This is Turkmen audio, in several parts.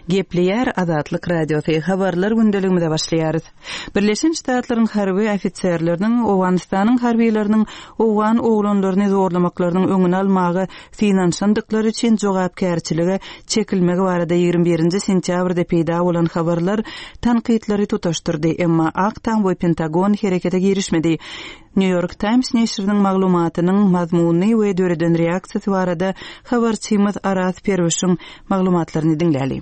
Gepleýär Azatlyk Radiosy, Habarlar gündeligimize başlaýarys. Birleşen Ştatlaryň harby ofiserleriniň Owganystanyň harbylarynyň owgan oglanlaryny zorlamaklarynyň öňüni almaga synanyşandyklary üçin jogapkärçilige çekilmegi barada 21-nji sentýabrda peýda bolan habarlar tankytlary tutaşdyrdy, emma Ak Tam we Pentagon herekete girişmedi. New York Times neşiriniň maglumatynyň mazmuny we döreden reaksiýasy barada habarçymyz Araz Perwişiň maglumatlaryny diňläli.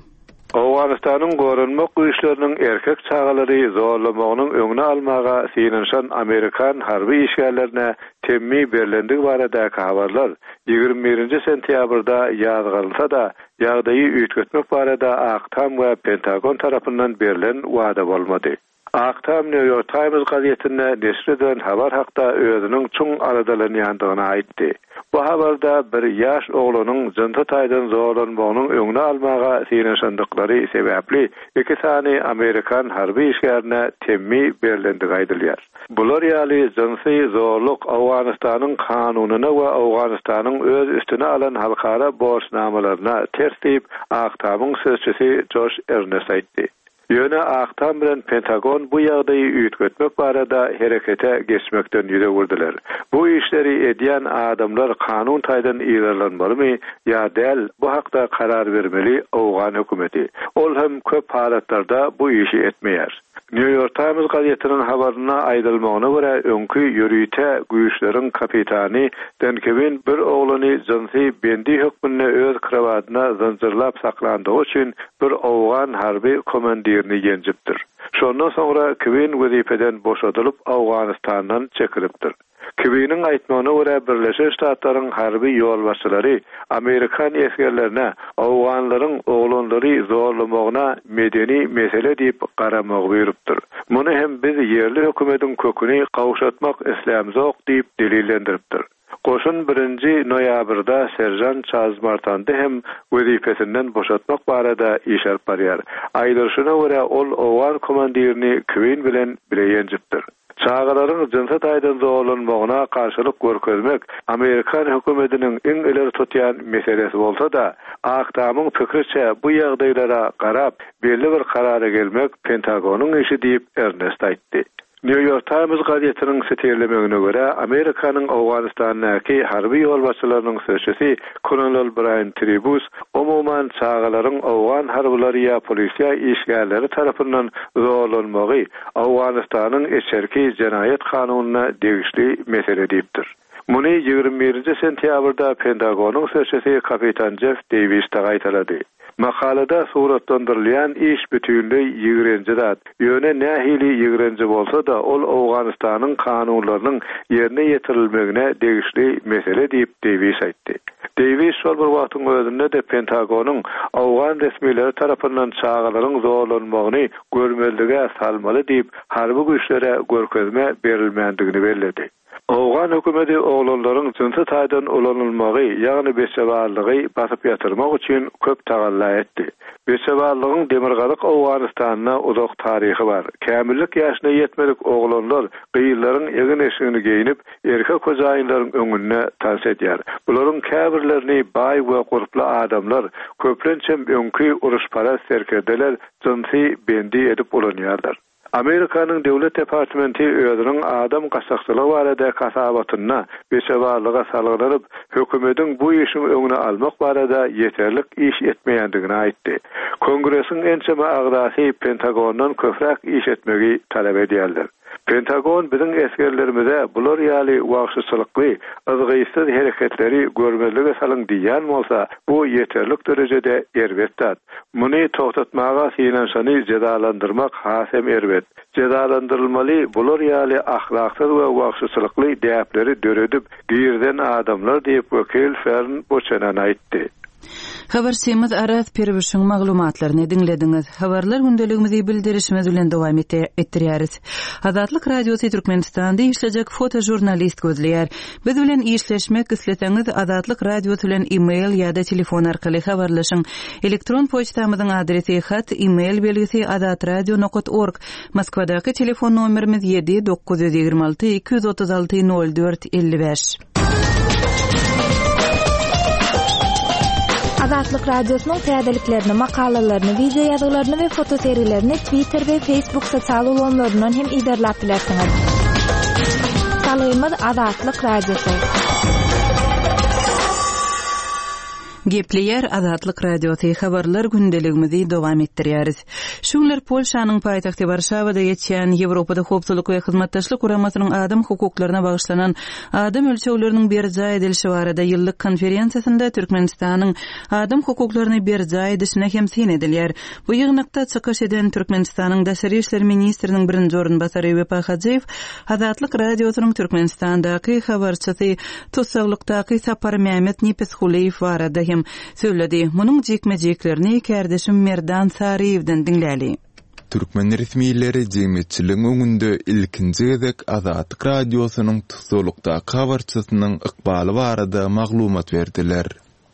Owganystanyň goranmak güýçleriniň erkek çagalary zorlamagynyň öňüni almaga synanyşan amerikan harby işgärlerine temmi berlendigi baradaky habarlar 21-nji sentýabrda ýazgarylsa-da, ýagdaýy üýtgetmek barada Ak Tam we Pentagon tarapyndan berlen wada bolmady. Ak Tam New York Times gazetinde neşir edilen habar hakda özüniň çuň aladalanýandygyny aýtdy. Bu habarda bir ýaş oglanyň jynsy taýdan zorlanmagynyň öňüni almaga synanyşandyklary sebäpli iki sany amerikan harby işgärine temmi berlendigi aýdylýar. Bular ýaly jynsy zorluk Owganystanyň kanunyna we Owganystanyň öz üstüne alan halkara borçnamalaryna ters diýip, Ak Tamyň sözçüsi Joş Ernest aýtdy. Ýöne Ak Tam bilen Pentagon bu ýagdaýy üýtgetmek barada herekete geçmekden ýüz öwürdiler. Bu işleri edýän adamlar kanun taýdan yzarlanmalymy ýa däl, bu hakda karar bermeli owgan hökümeti. Ol hem köp halatlarda bu işi etmeýär. New York Times gazetiniň habarynda aýdylmagyna görä, öňki ýörite güýçleriň kapitany Dan Kwin bir oglany jynsy bendi hökmünde öz krowadyna zynjyrlap saklandygy üçin bir owgan harby komandirini ýenjipdir. Şondan soňra Kwin wezipeden boşadylyp Owganystandan çekilipdir. Kwiniň aýtmagyna görä Birleşen Ştatlaryň harby ýolbaşçylary amerikan esgerlerine owganlaryň oglanlary zorlamagyna medeni mesele diýip garamagy buýrupdyr. Muny hem biz ýerli hökümediň köküni gowşatmak islämzok diýip delillendiripdir. Goşun birinji noýabrda seržant Çarlz Martandy hem wezipesinden boşatmak barada iş alyp barýar. Aýdylyşyna görä, ol owgan komandirini Kwin bilen bile ýenjipdir. Çagalaryň jynsy taýdan zorlanmagyna garşylyk görkezmek amerikan hökümetiniň iň ileri tutýan meselesi bolsa-da, Ak Tamyň pikriçe, bu ýagdaýlara garap, belli bir karara gelmek Pentagonyň işi diýip, Ernest aýtdy. New York Times gazetiniň sitirlemegine görä, Amerikanyň Owganystandaky harby ýolbaşçylarynyň sözçüsi kolonel Braýan Tribus, umuman, çagalaryň owgan harbylary ýa polisiýa işgärleri tarapyndan zorlanmagy Owganystanyň içerki jenaýat kanunyna degişli mesele diýipdir. Muny 21-nji sentýabrda Pentagonyň sözçüsi kapitan Jeff Deýwis-de gaýtalady. Makalada suratlandyrylýan iş bütinleý ýigrenji zat. Ýöne nähili ýigrenji bolsa-da, ol Owganystanyň kanunlarynyň ýerine ýetirilmegine degişli mesele diýip, Deýwis aýtdy. Deýwis şol bir wagtyň özünde-de Pentagonyň owgan resmileri tarapyndan çagalaryň zorlanmagyny görmezlige salmaly diýip, harby güýçlere görkezme berilmändigini belledi. Owgan hökümeti oglanlaryň jynsy taýdan ulanylmagy, ýagny beçebazlygy basyp ýatyrmak üçin köp tagalla etdi. Beçebazlygyň Demirgazyk Owganystanda uzak taryhy bar. Kämillik ýaşyna ýetmedik oglanlar gyzlaryň egin-eşigini geýnip, erkek hojaýynlaryň öňünde tans edýär. Bularyň käbirlerini baý we gurply adamlar, köplençem öňki uruşparaz serkerdeler jynsy bendi edip ulanýarlar. Amerikanyň Döwlet departamenti özüniň adam gaçakçylygy baradaky hasabatynda beçebazlyga salgylanyp, hökümediň bu işiň öňüni almak barada ýeterlik iş etmeýändigini aýtdy. Kongresiň ençeme agzasy Pentagondan köpräk iş etmegi talap edýärler. Pentagon biziň esgerlerimize bular ýaly wagşyçylykly, yzgytsyz hereketleri görmezlige salyň diýýän bolsa, bu ýeterlik derejede erbet zat. Muny togtatmaga synanyşany jezalandyrmak has hem erbet. Jezalandyrylmaly bular ýaly ahlaksyz we wagşyçylykly däpleri döredip girizen adamlar diýip wekil Fern Buçenan aýtdy. Habarçymyz Araz Pirwişiň maglumatlaryny diňlediňiz. Habarlar gündeligimizi bildirişimiz bilen dowam etdirýäris. Azatlyk Radiosy Türkmenistanda işlejek fotožurnalist gözleýär. Biz bilen işleşmek isleseňiz Azatlyk Radiosy bilen e-mail ýa-da telefon arkaly habarlaşyň. Elektron poçtamyzyň adresi hat, e-mail belgisi azatradio nokat org. Moskwadaky telefon nomerimiz 7 926 236 04 55. Azatlyk Radiosynyň täzeliklerini, makalalaryny, wideo ýazgylaryny we fotosergilerini Twitter we Facebook sosial ulgamlaryndan hem yzarlap bilersiňiz. Salgymyz Azatlyk Radiosy. Gepleýär Azatlyk Radiosy, habarlar gündeligimizi dowam etdirýäris. Şu günler Polşanyň paýtagty Warşawada geçýän Ýewropada Howpsuzlyk we Hyzmatdaşlyk Guramasynyň adam hukuklaryna bagyşlanan adam ölçegleriniň berjaý edilişi barada ýyllyk konferensiýasynda Türkmenistanyň adam hukuklaryny berjaý edişine hem syn edilýär. Bu ýygnakda çykyş eden Türkmenistanyň daşary işler ministriniň birinji orunbasary Wepa Hajyýew Azatlyk Radiosynyň Türkmenistandaky habarçysy tussaglykdaky Saparmämmet Nepesgulyýew barada hem sözledi. Munuň jikme-jiklerini kärdeşim Merdan Saryýewden diňläli. Türkmen resmileri jemgyýetçiligiň öňünde ilkinji gezek Azatlyk Radiosynyň tussaglykdaky habarçysynyň ykbaly barada maglumat berdiler.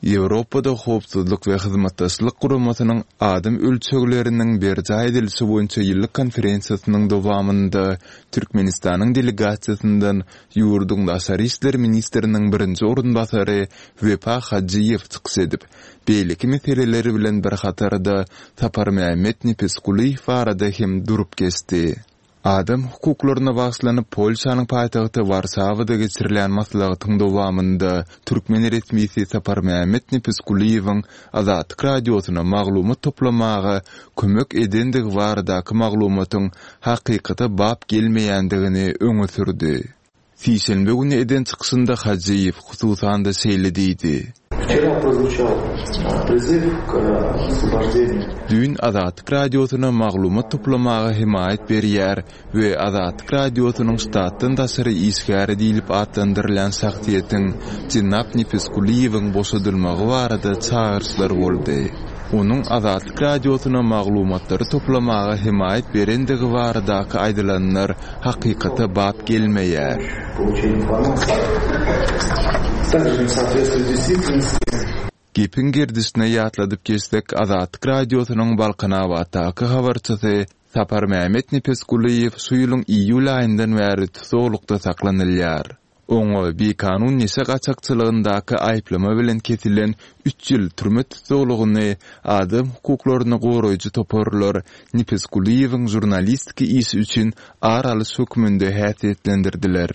Ýewropada Howpsuzlyk we Hyzmatdaşlyk Guramasynyň adam ölçegleriniň berjaý edilişi boýunça ýyllyk konferensiýasynyň dowamynda Türkmenistanyň delegasiýasyndan ýurduň daşary işler ministriniň birinji orunbasary Wepa Hajyýew çykyş edip, beýleki meseleler bilen bir hatarda Saparmämmet Nepesgulyýew barada hem durup geçdi. Adam hukuklaryna bagyşlanyp Polşanyň paýtagty Warşawada geçirilýän maslahatyň dowamynda türkmen resmisi Saparmämmet Nepesgulyýewiň Azatlyk Radiosyna maglumat toplamaga kömek edendigi baradaky maglumatyň hakykata bap gelmeýändigini öňe sürdi. Sişenbe güni eden çykyşynda Hajyýew, hususan-da, şeýle diýdi. Düýn Azatlyk Radiosyna maglumat toplamaga hemaýat berýär we Azatlyk Radiosynyň ştatdan daşary işgäri diýlip atlandyrylýan şahsyýetiň jenap Nepesgulyýewiň boşadylmagy barada çagyryşlar boldy. Onuň Azatlyk Radiosyna maglumatlary toplamaga hemaýat berendigi baradaky aýdylanlar hakykata bap gelmeýär. Gepiň gerdişine ýatladyp geçsek, Azatlyk Radiosynyň Balkanabatdaky habarçysy Saparmämmet Nepesgulyýew şu ýylyň iýul aýyndan bäri tussaglykda saklanylýar. Oňa bikanun neşe gaçakçylygyndaky aýyplama bilen kesilen üç ýyl türme tussaglygyny adam hukuklaryny goraýjy toparlar Nepesgulyýewiň žurnalistiki işi üçin ar alyş hökmünde häsiýetlendirdiler.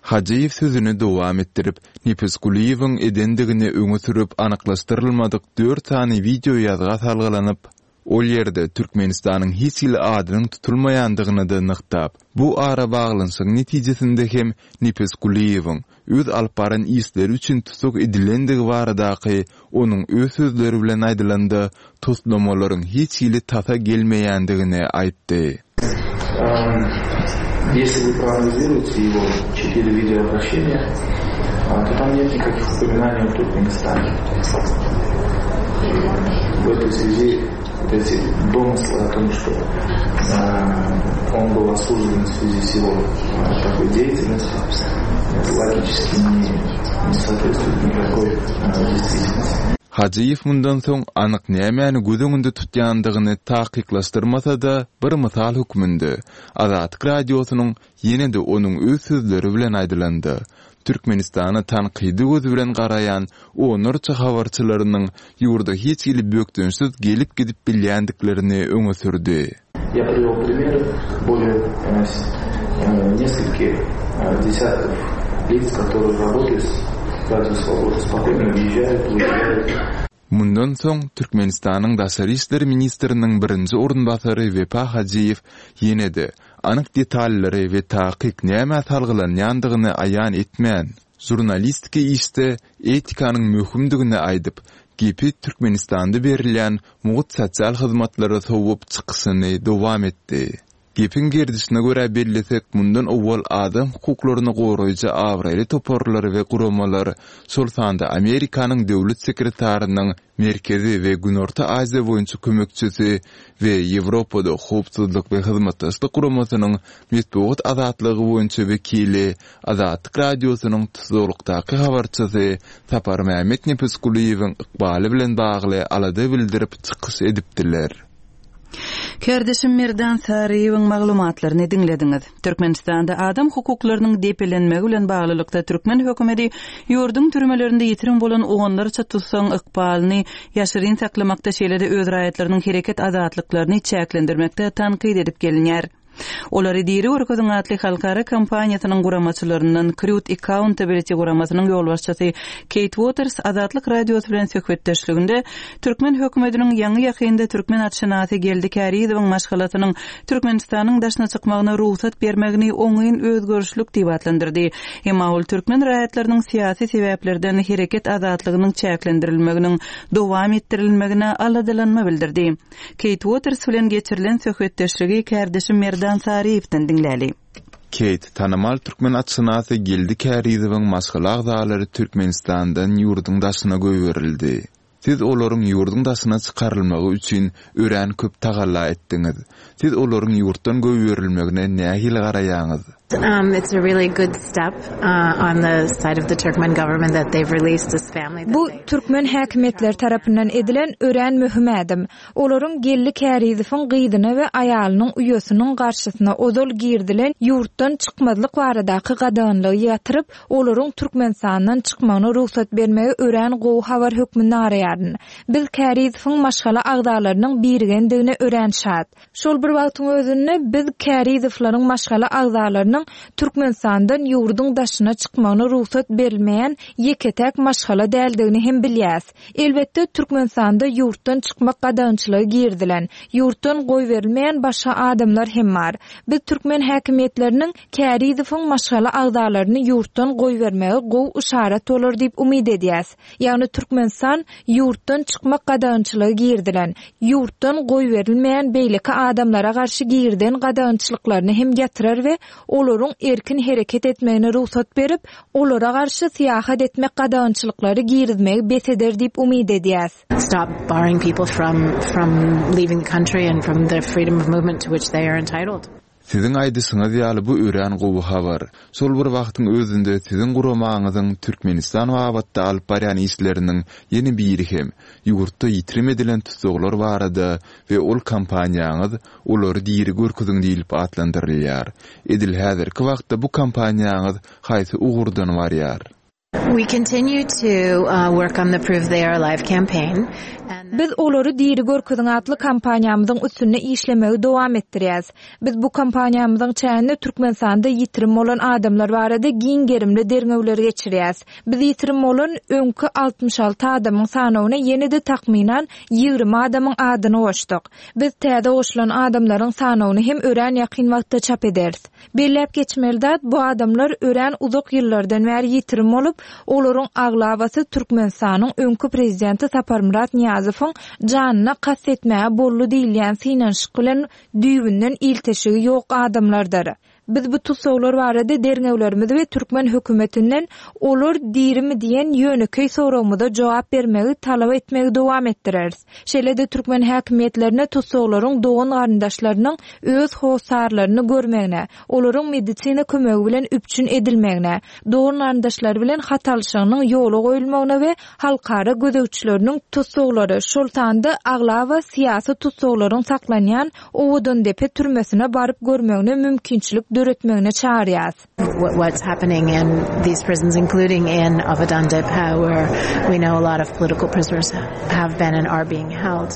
Hajyýew sözüni dowam etdirip, Nepesgulyýewiň edendigini öňe sürüp anyklaşdyrylmadyk dört sany wideoýazga salgylanyp, Ol ýerde Türkmenistanyň hiç hili adynyň tutulmaýandygyny-da nygtap, bu arabaglanyşygyň netijesinde hem Nepesgulyýewiň öz alyp baran işleri üçin tussag edilendigi baradaky onuň öz sözleri bilen aýdylanda toslamalaryň hiç hili tasa gelmeýändigini aýtdy. Hajyýew mundan soň anyk nämäni göz öňünde tutýandygyny takyklaşdyrmasa-da, bir mysal hökmünde, Azatlyk Radiosynyň ýene-de onuň öz sözleri bilen aýdylanda, Türkmenistana tankydy göz bilen garaýan onlarça habarçylarynyň ýurda hiç hili bökdençsiz gelip-gidip bilýändiklerini öňe sürdi. Ýa priwel primer bolее neskolkih desyatkov lic, kotorye rabotaýut s Radio Svoboda, spokoýno wýežžaýut, wyýežžaýut. Mundan soň, Türkmenistanyň daşary işler ministriniň birinji orunbasary Wepa Hajyýew ýene-de anyk detallary we takyk nämä salgylanýandygyny aýan etmän, žurnalistiki işde etikanyň möhümdigini aýdyp, gepi Türkmenistanda berilýän mugt sosial hyzmatlara sowup çykyşyny dowam etdi. Gepiň gerdişine görä bellesek, mundan owal adam hukuklaryny goraýjy abraýly toparlar we guramalar, şol sanda Amerikanyň Döwlet sekretarynyň Merkezi we Günorta Aziýa boýunça kömekçisi we Ýewropada Howpsuzlyk we Hyzmatdaşlyk Guramasynyň metbugat azatlygy boýunça wekili Azatlyk Radiosynyň tussaglykdaky habarçysy Saparmämmet Nepesgulyýewiň ykbaly bilen bagly alada bildirip çykyş edipdiler. Kärdeşim Merdan Saryýewiň maglumatlaryny diňlediňiz. Türkmenistanda adam hukuklarynyň depelenmegi bilen baglylykda türkmen hökümeti ýurduň türmelerinde ýitirim bolan onlarça tussagyň ykbalyny ýaşyryn saklamakda şeýle-de öz raýatlarynyň hereket azatlyklaryny çäklendirmekde tankyt edip gelinýär. Olary diri görkeziň atly halkara kampaniýasynyň guramaçylaryndan Crewed Accountability guramasynyň ýolbaşçysy Keýt Uoters Azatlyk Radiosy bilen söhbetdeşliginde türkmen hökümetiniň ýaňy-ýakynda türkmen atşynasy Geldi Kärizowyň maşgalasynyň Türkmenistanyň daşyna çykmagyna rugsat bermegini oňyn özgerişlik diýip atlandyrdy. Emma ol türkmen raýatlarynyň syýasy sebäplerden hereket azatlygynyň çäklendirilmeginiň dowam etdirilmegine aladalanma bildirdi. Keýt Uoters bilen geçirilen söhbetdeşligi kärdeşim Merdan Saryýewden diňläli. Keýt, tanymal türkmen atşynasy Geldi Kärizowyň maşgala agzalary Türkmenistandan ýurduň daşyna goýberildi. Siz olaryň ýurduň daşyna çykarylmagy üçin örän köp tagalla etdiňiz. Siz olaryň ýurtdan goýberilmegine nähili garaýaňyz? Bu türkmen häkimiýetleri tarapyndan edilen örän möhüm ädim. Olaryň Geldi Kärizowyň gyzyna we aýalynyň uýasynyň garşysyna ozal girizilen ýurtdan çykmazlyk baradaky gadaganlygy ýatyryp, olaryň Türkmenistandan çykmagyna rugsat bermegi örän gowy habar hökmünde garaýaryn. Biz Kärizowyň maşgala agzalarynyň birigendigine örän şat. Şol bir wagtyň özünde, biz Kärizowlaryň maşgala agzalarynyň Türkmenistandan ýurduň daşyna çykmagyna rugsat berilmeýän ýeke-täk maşgala däldigini hem bilýäs. Elbetde, Türkmenistanda ýurtdan çykmak gadagançylygy girizilen, ýurtdan goýberilmeýän başga adamlar hem bar. Biz türkmen häkimiýetleriniň Kärizowyň maşgala agzalaryny ýurtdan goýbermegi gowy yşarat bolar diýip umyt edýäs. Ýagny Türkmenistan ýurtdan çykmak gadagançylygy girizilen, ýurtdan goýberilmeýän beýleki adamlara garşy girizen gadagançylyklaryny hem ýatyrar we olaryň erkin hereket etmegine rugsat berip, olara garşy syýahat etmek gadagançylyklary girizmegi bes eder diýip umyt edýäs. Stop barring people from from leaving the country and from the freedom of movement to which they are entitled. Siziň aýdyşyňyz ýaly bu örän gowy habar. Şol bir wagtyň özünde siziň guramaňyzyň Türkmenistan babatda alyp barýan işleriniň ýene biri hem ýurtda ýitirim edilen tussaglar barada we ol kampaniýaňyz Olary diri görkeziň diýlip atlandyrylýar. Edil häzirki wagtda bu kampaniýaňyz haýsy ugurdan barýar? We continue to work on the Prove They Are Alive campaign and. Biz Olary diri görkeziň atly kampaniýamyzyň üstünde işlemegi dowam etdirýäs. Biz bu kampaniýamyzyň çäginde Türkmenistanda ýitirim bolan adamlar barada giň gerimli derňewleri geçirýäs. Biz ýitirim bolan öňki 66 adamyň sanawyna ýene-de takmynan 20 adamyň adyny goşduk. Biz täze goşulan adamlaryň sanawyny hem örän ýakyn wagtda çap ederis. Belläp geçmeli zat, bu adamlar örän uzak ýyllardan bäri ýitirim bolup, olaryň aglabasy Türkmenistanyň öňki prezidenti Saparmyrat Nyýazowyň janyna kast etmäge boldy diýilýän synanyşyk bilen düýbünden ilteşigi ýok adamlardyr. Biz bu tussaglar barada derňewlerimizi we türkmen hökümetinden olar dirimi diýen ýönekeý soragymyza jogap bermegi talap etmegi dowam etdireris. Şeýle-de türkmen häkimiýetlerine tussaglaryň dogan-garyndaşlarynyň öz hossarlaryny görmegine, olaryň medisina kömegi bilen üpjün edilmegine, dogan-garyndaşlary bilen hat alşygynyň ýola goýulmagyna we halkara gözegçileriniň tussaglary, şol sanda aglaba syýasy tussaglaryň saklanýan Owadandepe türmesine baryp görmegine mümkinçilik döretmegine çagyrýas. What's happening in these prisons including in Owadandepe where we know a lot of political prisoners have been and are being held.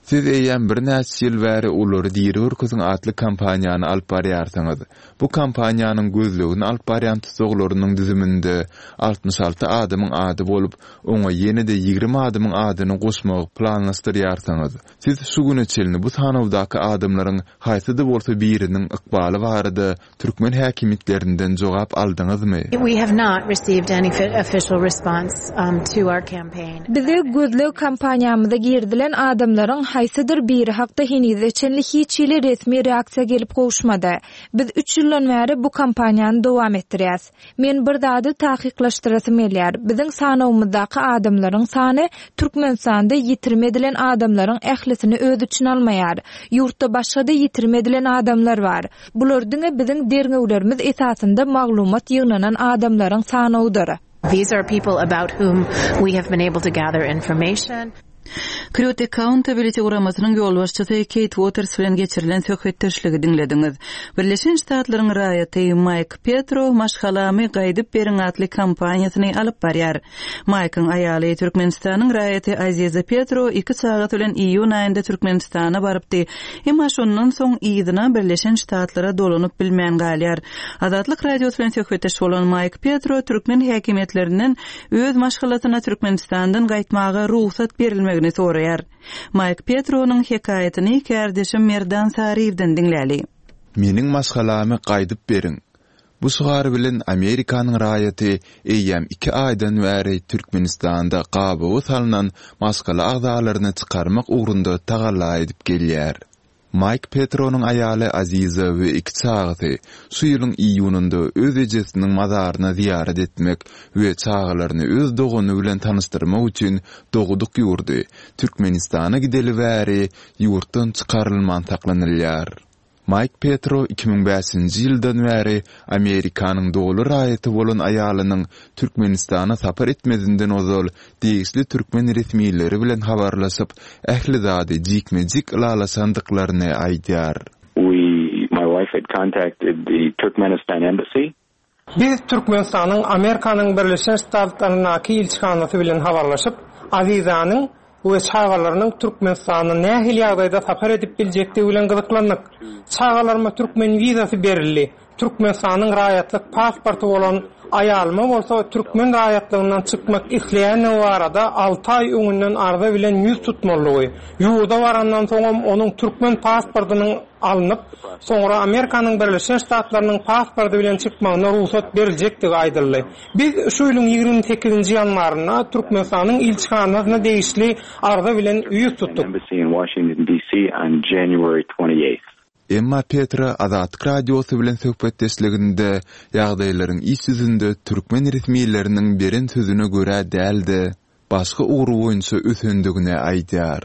Siz eýýäm birnäçe ýyl bäri Olary diri görkeziň atly kampaniýany alyp barýarsyňyz. Bu kampaniýanyň gözlegini alyp barýan tussaglarynyň düzüminde 66 adamyň ady bolup, oňa ýene-de 20 adamyň adyny goşmagy planlaşdyrýarsyňyz. Siz şu güne çenli bu sanawdaky adamlaryň haýsy-da bolsa biriniň ykbaly barada türkmen häkimiýetlerinden jogap aldyňyzmy? We have not received any official response to our campaign. Bize gözleg kampaniýamyza girizilen adamlaryň haýsydyr biri hakda henize çenli hiç hili resmi reaksiýa gelip gowuşmady. Biz üç ýyldan bäri bu kampaniýany dowam etdirýäs. Men bir zady takyklaşdyrasym gelýär, biziň sanawymyzdaky adamlaryň sany Türkmenistanda ýitirim edilen adamlaryň ählisini öz içine almaýar. Ýurtda başga-da ýitirim edilen adamlar bar. Bular diňe biziň derňewlerimiz esasynda maglumat ýygnanan adamlaryň sanawydyr. These are people about whom we have been able to gather information. Krýut Accountability guramasynyň ýolbaşçysy Keýt Uoters bilen geçirilen söhbetdeşligi diňlediňiz. Birleşen Ştatlaryň raýaty Maýk Petro Maşgalamy gaýdyp beriň atly kampaniýasyny alyp barýar. Maýkyň aýaly, Türkmenistanyň raýaty Aziza Petro iki çagasy bilen iýun aýynda Türkmenistana barypdy. Emma şondan soň yzyna Birleşen Ştatlara dolanyp bilmän galýar. Azatlyk Radiosy bilen söhbetdeş bolan Maýk Petro türkmen häkimiýetlerinden öz maşgalasyna Türkmenistandan gaýtmaga rugsat berilmegini soraýar. Maýk Petronyň hekaýatyny kärdeşim Merdan Saryýewden diňläli. Meniň maşgalamy gaýdyp beriň! Bu şygar bilen Amerikanyň raýaty eýýäm iki aýdan bäri Türkmenistanda gabawa salnan maşgala agzalaryny çykarmak ugrunda tagalla edip gelýär. Maýk Petronyň aýaly Aziza we iki çagasy şu ýylyň iýunynda öz ejesiniň mazaryna zyýarat etmek we çagalaryny öz dogany bilen tanyşdyrmak üçin dogduk ýurdy, Türkmenistana gideli bäri ýurtdan çykarylman saklanylýar. Maýk Petro 2005-nji ýyldan bäri Amerikanyň doly raýaty bolan aýalynyň Türkmenistana sapar etmezinden ozal degişli türkmen resmileri bilen habarlaşyp, ähli zady jikme-jik ylalaşandyklaryny aýdýar. We, my wife had contacted the Turkmenistan embassy. Biz Türkmenistanyň Amerikanyň Birleşen Ştatlaryndaky ilçihanasy bilen habarlaşyp, Azizanyň we çagalarynyň Türkmenistana nähili ýagdaýda sapar edip biljekdigi bilen gyzyklandyk. Çagalaryma türkmen wizasy berildi. Türkmenistanyň raýatlyk pasporty bolan aýalyma bolsa türkmen raýatlygyndan çykmak isleýändigi barada alty aý öňünden arza bilen ýüz tutmalydygy, ýurda barandan soňam onuň türkmen pasportynyň alnyp, soňra Amerikanyň Birleşen Ştatlarynyň pasporty bilen çykmagyna rugsat beriljekdigi aýdyldy. Biz şu ýylyň 28-nji ýanwarynda Türkmenistanyň ilçihanasyna degişli arza bilen ýüz tutduk. Emma Petra Azatlyk Radiosy bilen söhbetdeşliginde ýagdaýlaryň iş ýüzünde türkmen resmileriniň beren sözüne görä däl-de, başga ugur boýunça ösendigini aýdýar.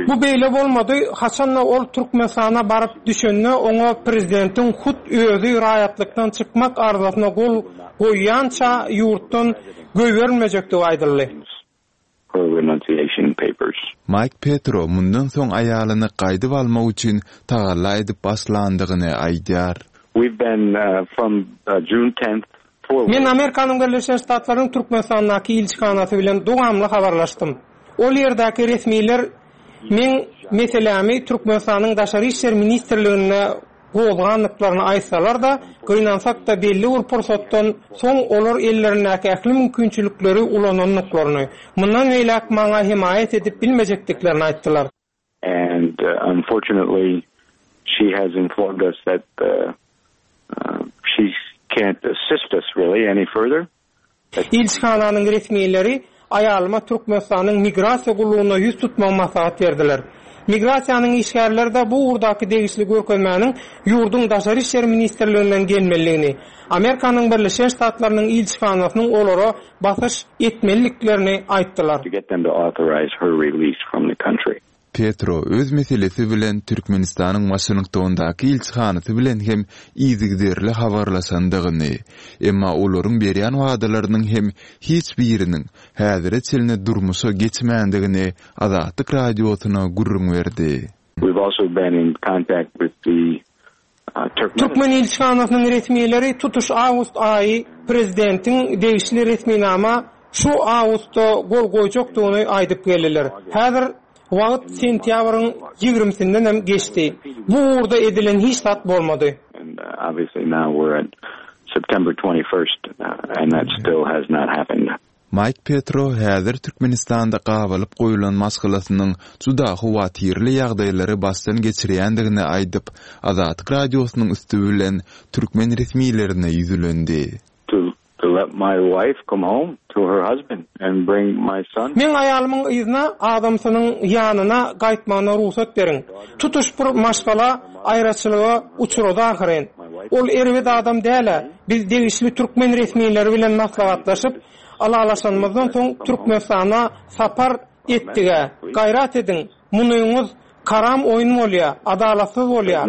Bu beýle bolmady, haçan-da ol Türkmenistana baryp düşende oňa prezidentiň hut özi raýatlykdan çykmak arzasyna gol goýýança ýurtdan goýberilmejekdigi aýdyldy. her renunciation papers. Maýk Petro mundan soň aýalyny gaýdyp almak üçin tagalla edip başlandygyny aýdýar. We've been from June tenth forward. Men Amerikanyň Birleşen Ştatlarynyň Türkmenistandaky ilçihanasy bilen dowamly habarlaşdym. Ol ýerdäki resmiler meň meselämi Türkmenistanyň Daşary işler ministrliginde gozgandyklaryny aýtsalar-da, gynansak-da belli bir pursatdan soň olar ellerindäki ähli mümkinçilikleri ulanandyklaryny, mundan beýläk maňa hemaýat edip bilmejekdiklerini aýtdylar. And unfortunately she has informed us that she can't assist us really any further. Ilçihananyň resmileri aýalyma Türkmenistanyň Migrasiýa gullugyna ýüz tutmagy maslahat berdiler. Migrasiýanyň işgärleri-de bu ugurdaky degişli görkezmäniň ýurduň Daşary işler ministrliginden gelmelidigini, Amerikanyň Birleşen Ştatlarynyň ilçihanasynyň olara basyş etmeliliklerini aýtdylar. To get them to authorize her release from the country. Petro öz meselesi bilen Türkmenistanyň Waşingtondaky ilçihanasy bilen hem yzygiderli habarlaşandygyny, emma olaryň berýän wadalarynyň hem hiç biriniň häzire çenli durmuşa geçmändigini Azatlyk Radiosyna gürrüň berdi. We've also been in contact with the Türkmen ilçihanasynyň resmileri tutuş awgust aýy prezidentiň degişli resminama şu awgustda gol goýjakdygyny aýdyp geldiler. Häzir wagt sentýabryň ýigrimisinden geçdi. Bu ugurda edilen hiç zat bolmady. Maýk Petro häzir Türkmenistanda gabalyp goýlan maşgalasynyň juda howatyrly ýagdaýlary başdan geçirýändigini aýdyp, Azatlyk Radiosynyň üsti bilen türkmen resmilerine ýüzlendi. To to let my wife come home to her husband and bring my son. Meň aýalymyň yzyna adamsynyň ýanyna gaýtmagyna rugsat beriň. Tutuş bir maşgala aýraçylyga uçrady ahyryn. Ol erbet adam däl-ä. Biz degişli türkmen resmileri bilen maslahatlaşyp, ylalaşanymyzdan soň Türkmenistana sapar etdig-ä. Gaýrat ediň, munyňyz karam oýun bolýa, adalatsyz bolýa.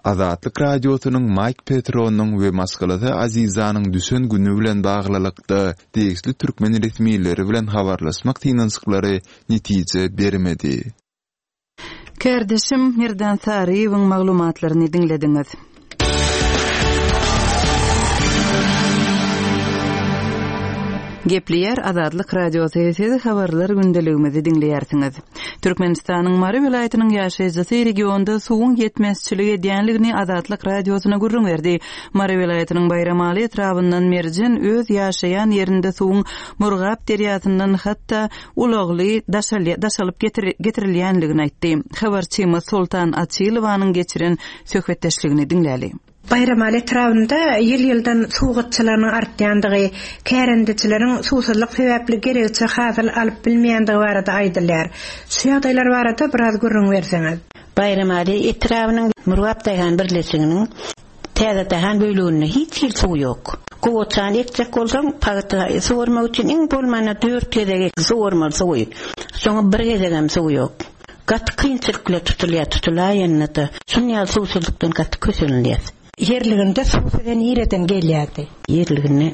Azatlyk Radiosynyň Maýk Petronyň we maşgalasy Azizanyň düşen güni bilen baglylykda degişli türkmen resmileri bilen habarlaşmak synanyşyklary netije bermedi. Kärdeşim Merdan Saryýewiň maglumatlaryny diňlediňiz. Gepleýär Azatlyk Radiosy, siz habarlar gündeligimizi diňleýärsiňiz. Türkmenistanyň Mary welaýatynyň ýaşaýjysy regionda suwuň ýetmezçilik edýänligini Azatlyk Radiosyna gürrüň berdi. Mary welaýatynyň Baýramaly etrabyndan Merjen öz ýaşaýan ýerinde suwuň Murgap derýasyndan hatda ulagly daşalyp getirilýänligini aýtdy. Habarçymyz Soltan Açylowanyň geçiren söhbetdeşligini diňläli. Baýramaly etrabynda ýyl-ýyldan suw gytçylygynyň artýandygy, kärendeçileriň suwsuzlyk sebäpli geregiçe hasyl alyp bilmeýändigi barada aýdylýar. Şu ýagdaýlar barada biraz gürrüň berseňiz. Baýramaly etrabynyň Murgap daýhan birleşiginiň Täze daýhan bölüginde hiç hili suw ýok. Gowaçany ekjek bolsaň, pagta suwarmak üçin iň bolmanda dört gezek suwarmaly suwy. Şoňa bir gezegem suw ýok. Gaty kynçylyk bilen tutulýar, tutulaýanda-da şuny ýaly suwsuzlykdan gaty kösenilýär. Ýerliginde suw size nireden gelýärdi? Ýerliginde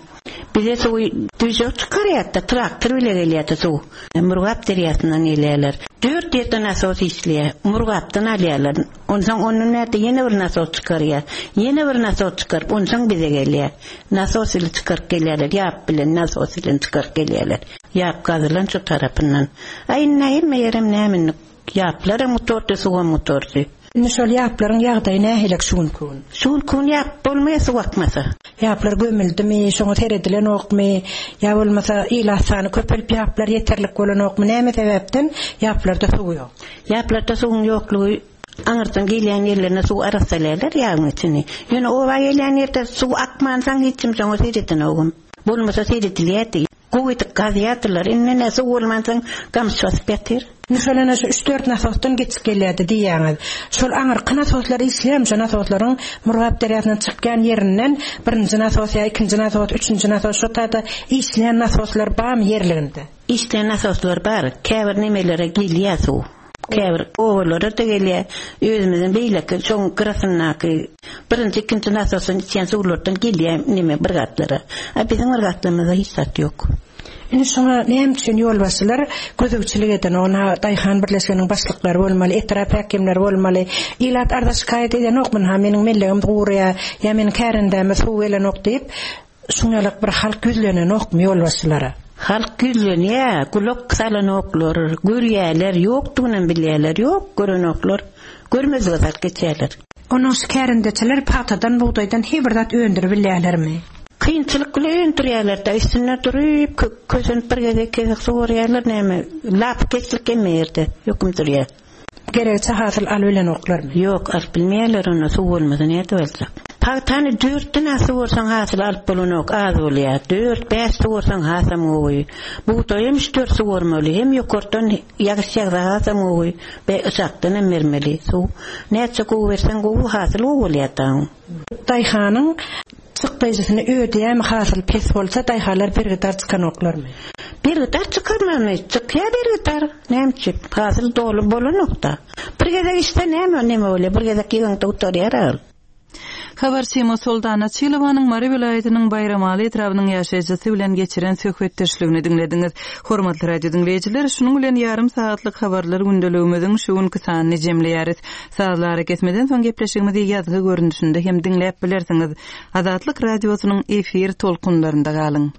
bize suwy düžek çykarýardy-da, traktor bile gelýärdi suw. Murgap derýasyndan gelýärler. Dört ýerde nasos işleýär. Murgapdan alýarlar. Onsoň ondan bärde ýene bir nasos çykarýar. Ýene bir nasos çykaryp, onsoň bize gelýär. Nasos ile çykaryp gelýärler, ýap bilen, nasos bilen çykaryp gelýärler. Ýap gazylan şu tarapyndan. Aý, indi hemme ýerem näme indi, ýaplaram gutardy, suwam gutardy. Indi şol ýaplaryň ýagdaýy nähilek şu günki gün? Şu günki gün ýap bolmaýar suw akmasa. Ýaplar gömüldimi, şoňa seredilenokmy, ýa bolmasa ilat sany köpelip ýaplar ýeterlik bolanokmy, näme sebäpden ýaplarda suw ýok? Ýaplarda suwuň ýoklugy aňyrdan gelýän ýerlerinde suw arassalaýarlar ýabyň içini. Ýöne oba gelýän ýerde suw akmansoň hiç kim şoňa seredenogam. Bolmasa seredilýärdi. Gowy edip gazýardylar. Indi ine suw bolmansoň gamyş basyp ýatyr. Indi şol ene şu üç-dört nasosdan geçip gelýärdi diýýäňiz. Şol aňyrky nasoslar işleýärmi? Şo nasoslaryň Murgap derýasyndan çykýan ýerinden birinji nasos ýa ikinji nasos, üçünji nasos şo taýda işleýän nasoslar barmy ýerliginde? Işleýän nasoslar bar. Käbir nemelere gelýär suw. Käbir obalara-da gelýär. Özümiziň beýleki şoň gyrasyndaky birinji, ikinji nasosdan içýän suwlardan gelýär neme bir gatlara. A biziň bir gatlarymyzda hiç zat ýok. Indi şoňa näme üçin ýolbaşçylar gözegçilik edenok? Ynha, daýhan birleşiginiň başlyklary bolmaly, etrap häkimleri bolmaly. Ilat arza-şikaýat edenokmy? Ynha, meniň mellegim guraýar ýa meniň kärendäme suw gelenok diýip, Şuňňalak bir halk ýüzlenenokmy ýolbaşçylara? Halk ýüzlenýä, gulak salanoklar, görýäler, ýokdugynam bilýäler, ýok, görenoklar, görmezlige salyp geçýäler. Onuň şu kärendeçiler pagtadan, bugdaýdan he bir zat öndüribilýälermi? Kynçylyk bilen öndürýäler-dä, üstünde duryp, kösenip bir gezek, iki gezek suwarýarlar, näme, lapykeçlik hemme ýerde höküm sürýär. Geregiçe hasyl alybilenoklarmy? Ýok, alyp bilmeýärler onda, suw bolmasa nädip aljak. Pagtany dörtden az suwarsaň hasyl alyp bolanok, az bolýar. Dört, bäş suwarsaň hasam gowy. Bugdaýam üç-dört suwarmaly, hem ýokardan ýagyş ýagsa hasam gowy, be yşakdanam bermeli suw. Näçe gowy berseň gowy, hasyl gowy bolýar dagyň. Daýhanyň çykdaýjysyny ödeýärmi hasyl pes bolsa daýhanlar bergidar çykanoklarmy? Bergidar çykarmazmy? Çykýar bergidar. Näme üçin? Hasyl doly bolanokda. Bir gezek içse näme neme bolýar? Bir gezek ýygyňda gutarýar ol. Habarçymyz Soltan Açylowanyň Mary welaýatynyň Baýramaly etrabynyň ýaşaýjysy bilen geçiren söhbetdeşligini diňlediňiz. Hormatly radio diňleýjiler, şunuň bilen ýarym sagatlyk habarlar gündeligimiziň şu günki sanyny jemleýäris. Sazly arakesmeden soň gepleşigimizi ýazgy görnüşinde hem diňläp bilersiňiz. Azatlyk Radiosynyň efir tolkunlarynda galyň.